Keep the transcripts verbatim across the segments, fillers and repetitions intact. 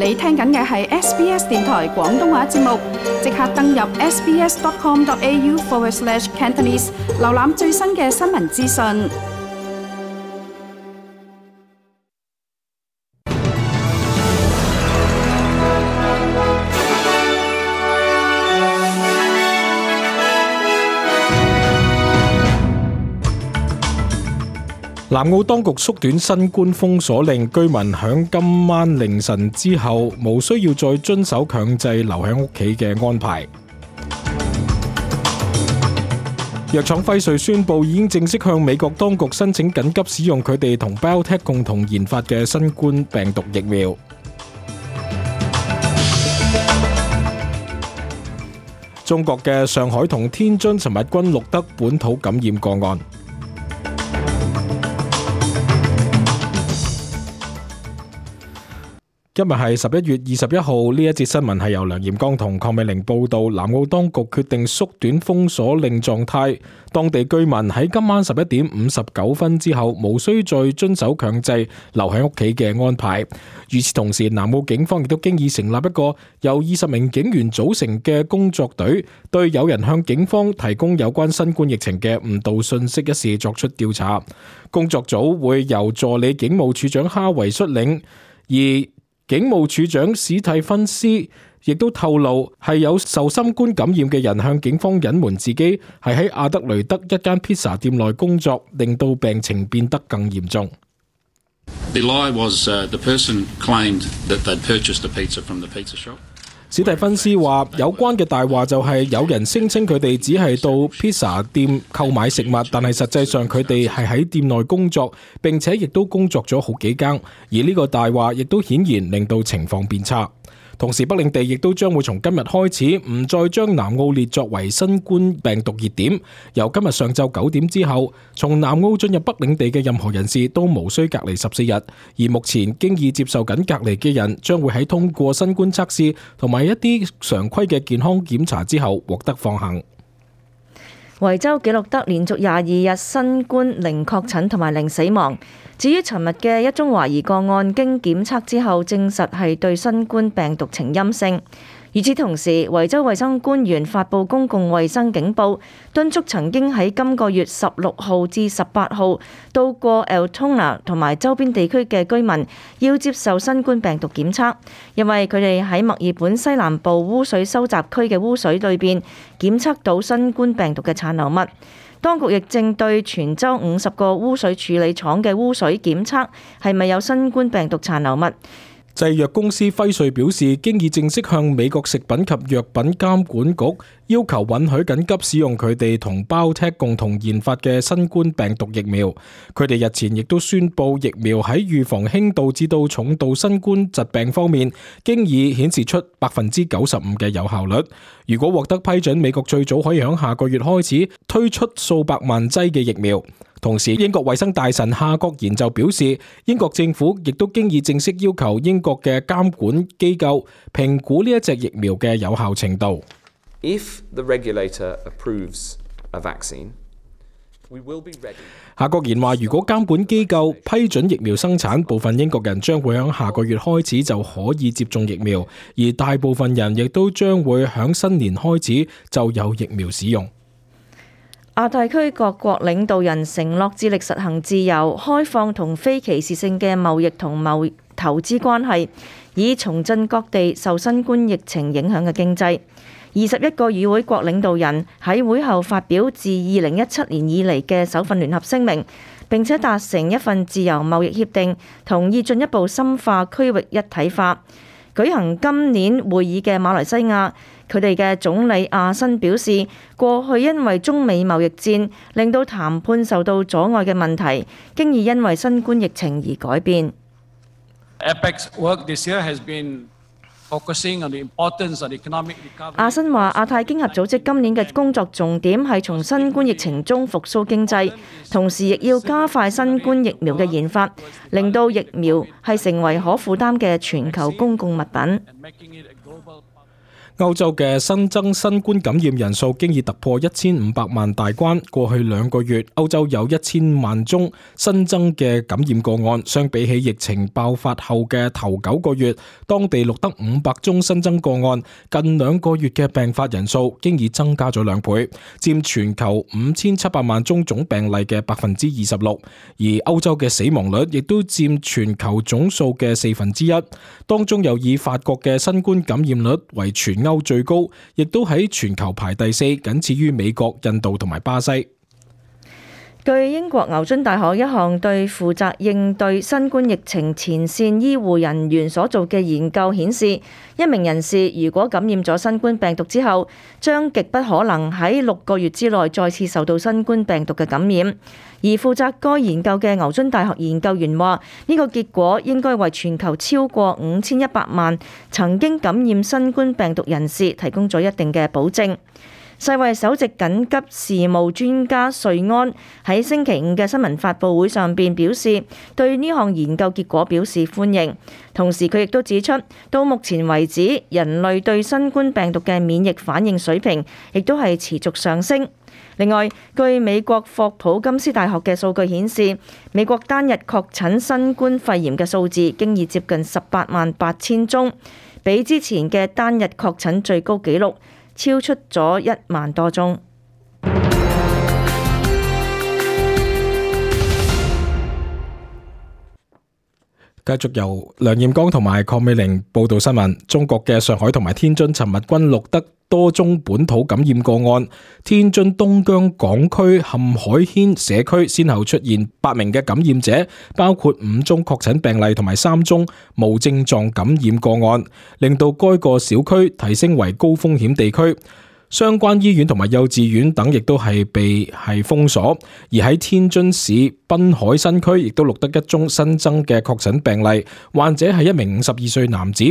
你聽緊嘅係 S B S 電台廣東話節目，即刻登入 sbs.com.au forward slash Cantonese， 瀏覽最新嘅新聞資訊。南澳當局縮短新冠封鎖令，居民響今晚凌晨之後無需要再遵守強制留喺屋企嘅安排。藥廠輝瑞宣布已經正式向美國當局申請緊急使用佢哋同 BioNTech 共同研發嘅新冠病毒疫苗。中國嘅上海同天津尋日均錄得本土感染個案。今日係十一月二十一號，呢一節新聞係由梁炎光同鄺美玲報道。南澳當局決定縮短封鎖令狀態，當地居民喺今晚十一點五十九分之後無需再遵守強制留喺屋企嘅安排。與此同時，南澳警方亦都經已成立一個由二十名警員組成嘅工作隊，對有人向警方提供有關新冠疫情嘅誤導信息一事作出調查。工作組會由助理警務處長哈維率領，而警務處長史蒂芬斯亦都透露，係有受新冠感染嘅人向警方隱瞞自己係喺阿德雷德一間披薩店內工作，令到病情變得更嚴重。The lie was, uh, the person claimed that they'd purchased a pizza from the pizza shop. 史蒂芬斯話，有關嘅大話就係有人聲稱佢哋只係到披薩店購買食物，但係實際上佢哋係喺店內工作，並且亦都工作咗好幾更，而呢個大話亦都顯然令到情況變差。同時，北領地亦都將會從今日開始唔再將南澳列作為新冠病毒熱點。由今日上晝九點之後，從南澳進入北領地嘅任何人士都無需隔離十四日。而目前經已接受緊隔離嘅人，將會喺通過新冠測試同埋一啲常規嘅健康檢查之後獲得放行。維州記錄得連續廿二日新冠零確診同埋零死亡。至於尋日嘅一宗懷疑個案，經檢測之後證實係對新冠病毒呈陰性。與此同時，維州衛生官員發布公共衛生警報，敦促曾經喺今個月十六號至十八號到過 Altona 同埋周邊地區嘅居民要接受新冠病毒檢測，因為佢哋喺墨爾本西南部污水收集區嘅污水裏邊檢測到新冠病毒嘅殘留物。當局亦正對全州五十個污水處理廠嘅污水檢測係咪有新冠病毒殘留物。製藥公司輝瑞表示，經已正式向美國食品及藥品監管局要求允許緊急使用佢哋同 BioNTech 共同研發嘅新冠病毒疫苗。佢哋日前亦都宣布，疫苗喺預防輕度至到重度新冠疾病方面，經已顯示出百分之九十五嘅有效率。如果獲得批准，美國最早可以喺下個月開始推出數百萬劑嘅疫苗。同時，英國衛生大臣夏國賢就表示，英國政府亦都經已正式要求英國嘅監管機構評估呢一隻疫苗嘅有效程度。If the regulator approves a vaccine, we will be ready. 夏國賢話，如果監管機構批准疫苗生產，部分英國人將會喺下個月開始就可以接種疫苗，而大部分人亦都將會喺新年開始就有疫苗使用。亞太區各國領導人承諾致力實行自由、開放同非歧視性嘅貿易同貿投資關係，以重振各地受新冠疫情影響嘅經濟。二十一個與會國領導人喺會後發表自二零一七年以嚟嘅首份聯合聲明，並且達成一份自由貿易協定，同意進一步深化區域一體化。舉行今年會議嘅馬來西亞，佢哋嘅總理阿辛表示，過去因為中美貿易戰令到談判受到阻礙嘅問題，經已因為新冠疫情而改變。阿辛話，亞太經合組織今年嘅工作重點係從新冠疫情中復甦經濟，同時亦要加快新冠疫苗嘅研發，令到疫苗係成為可負擔嘅全球公共物品。歐洲嘅新增新冠感染人數經已突破一千五百萬大關。過去兩個月，歐洲有一千萬宗新增嘅感染個案，相比起疫情爆發後嘅頭九個月，當地錄得五百宗新增個案。近兩個月嘅病發人數經已增加咗兩倍，佔全球五千七百萬宗總病例嘅百分之二十六。而歐洲嘅死亡率亦都佔全球總數嘅四分之一，當中又以法國嘅新冠感染率為全歐最高，亦都喺全球排第四，僅次於美國、印度同埋巴西。據英國牛津大學一項對負責應對新冠疫情前線醫護人員所做嘅研究顯示，一名人士如果感染咗新冠病毒之後，將極不可能喺六個月之內再次受到新冠病毒嘅感染。而負責該研究嘅牛津大學研究員話，呢個結果應該為全球超過五千一百萬曾經感染新冠病毒人士提供咗一定嘅保證。世衛首席緊急事務專家瑞安喺星期五嘅新聞發佈會上邊表示，對呢項研究結果表示歡迎。同時佢亦都指出，到目前為止，人類對新冠病毒嘅免疫反應水平亦都係持續上升。另外，據美國霍普金斯大學嘅數據顯示，美國單日確診新冠肺炎嘅數字經已接近十八萬八千宗，比之前嘅單日確診最高紀錄超出咗一萬多宗。繼續由梁艷剛同埋鄺美玲報道新聞。中國嘅上海同埋天津尋日均錄得多宗本土感染個案。天津東江港區陷海軒社區先後出現八名嘅感染者，包括五宗確診病例同埋三宗無症狀感染個案，令到該個小區提升為高風險地區。相關醫院同埋幼稚園等亦都係被係封鎖。而喺天津市濱海新區亦都錄得一宗新增嘅確診病例，患者係一名五十二歲男子。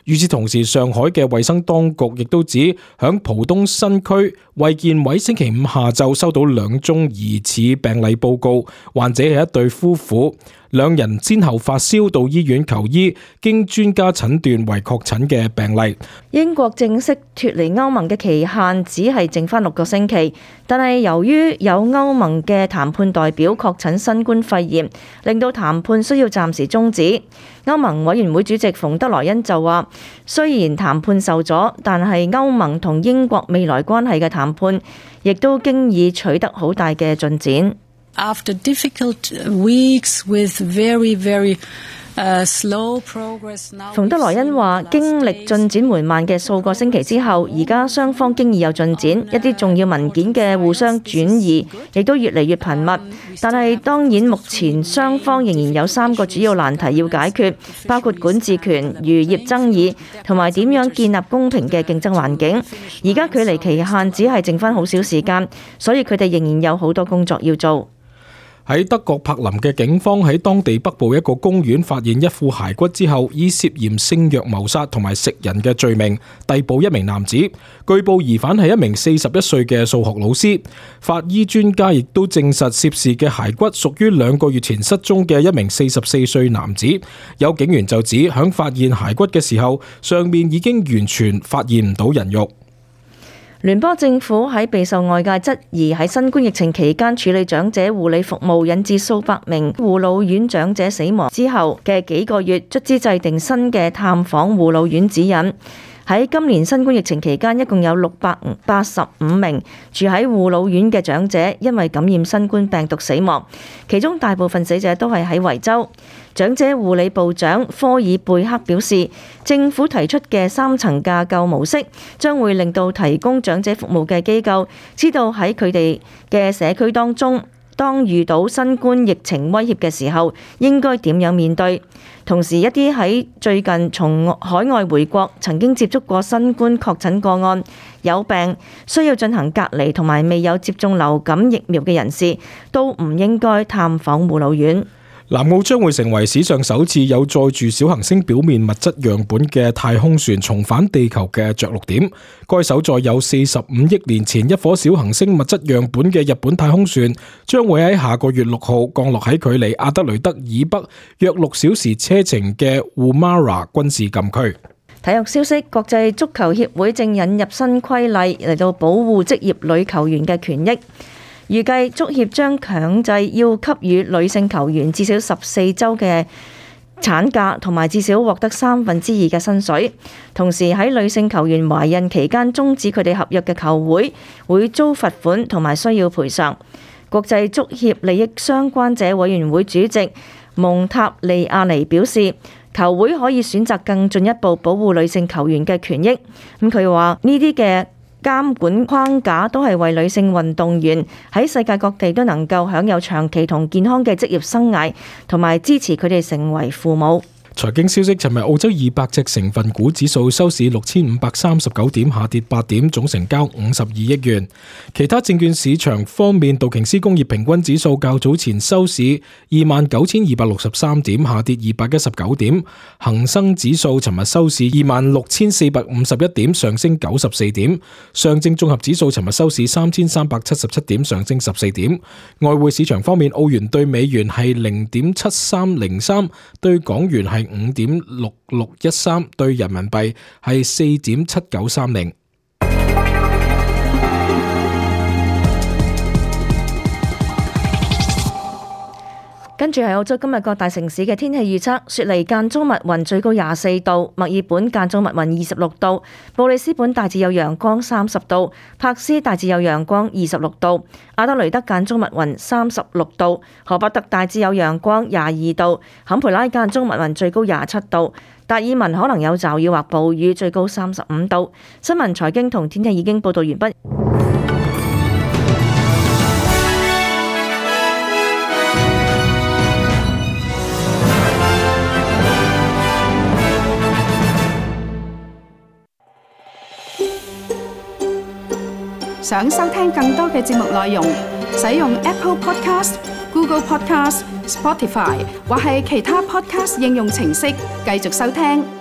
與此同時，上海嘅衛生當局亦都指，響浦東新區衛健委星期五下晝收到兩宗疑似病例報告，患者係一對夫婦，兩人先後發燒到醫院求醫，經專家診斷為確診嘅病例。英國正式脫離歐盟嘅期限只係剩翻六個星期，但係由於有歐盟嘅談判代表確診新冠肺炎，令到談判需要暫時終止。歐盟委員會主席馮德萊恩就話，雖然談判受阻，但係歐盟同英國未來關係嘅談判亦都經已取得好大嘅進展。After difficult weeks with very, very slow progress now，馮德萊恩話，經歷進展緩慢嘅數個星期之後，而家雙方經已有進展，一啲重要文件嘅互相轉移亦都越嚟越頻密。但係當然，目前雙方仍然有三個主要難題要解決，包括管治權、漁業爭議同埋點樣建立公平嘅競爭環境。而家距離期限只係剩翻好少時間，所以佢哋仍然有好多工作要做。喺德國柏林嘅警方喺當地北部一個公園發現一副骸骨之後，以涉嫌性虐謀殺同埋食人嘅罪名逮捕一名男子。據報疑犯係一名四十一歲嘅數學老師。法醫專家亦都證實涉事嘅骸骨屬於兩個月前失蹤嘅一名四十四歲男子。有警員就指，響發現骸骨嘅時候，上面已經完全發現唔到人肉。聯邦政府喺備受外界質疑喺新冠疫情期間處理長者護理服務引致數百名護老院長者死亡之後嘅幾個月，卒之制定新嘅探訪護老院指引。喺今年新冠疫情期間，一共有六百八十五名住喺護老院嘅長者因為感染新冠病毒死亡，其中大部分死者都係喺維州。長者護理部長科爾貝克表示，政府提出嘅三層架構模式將會令到提供長者服務嘅機構知道喺佢哋嘅社區當中，當遇到新冠疫情威脅嘅時候，應該點樣面對。同時，一啲喺最近從海外回國曾經接觸過新冠確診個案、有病需要進行隔離同埋未有接種流感疫苗嘅人士，都唔應該探訪護老院。南澳將會成為史上首次有載住小行星表面物質樣本嘅太空船重返地球嘅着陸點。該艘載有四十五億年前一顆小行星物質樣本嘅日本太空船，將會喺下個月六號降落喺距離阿德雷德以北約六小時車程嘅烏馬拉軍事禁區。體育消息，國際足球協會正引入新規例嚟到保護職業女球員嘅權益。預計足協將強制要給予女性球員至少十四週嘅產假，同埋至少獲得三分之二嘅薪水。同時喺女性球員懷孕期間終止佢哋合約嘅球會會遭罰款同埋需要賠償。國際足協利益相關者委員會主席蒙塔利亞尼表示，球會可以選擇更進一步保護女性球員嘅權益。咁佢話呢啲嘅監管框架都係為女性運動員喺世界各地都能夠享有長期同健康嘅職業生涯，同埋支持佢哋成為父母。財經消息，尋日澳洲二百隻成分股指數收市六千五百三十九點，下跌八點，總成交五十二億元。其他證券市場方面，道瓊斯工業平均指數較早前收市二萬九千二百六十三點，下跌二百一十九點。恒生指數尋日收市二萬六千四百五十一點，上升九十四點。上證綜合指數尋日收市三千三百七十七點，上升十四點。外匯市場方面，澳元對美元係零點七三零三，對港元係五點六六一三，對人民幣係四點七九三零。跟住係澳洲今日各大城市嘅天氣預測：雪梨間中密雲，最高廿四度；墨爾本間中密雲，二十六度；布里斯本大致有陽光，三十度；柏斯大致有陽光，二十六度；阿德雷德間中密雲，三十六度；荷伯特大致有陽光，廿二度；坎培拉間中密雲，最高廿七度；達爾文可能有驟雨或暴雨，最高三十五度。新聞、財經同天氣已經報道完畢。想收聽更多嘅節目內容，使用 Apple Podcast、Google Podcast、Spotify 或係其他 Podcast 應用程式繼續收聽。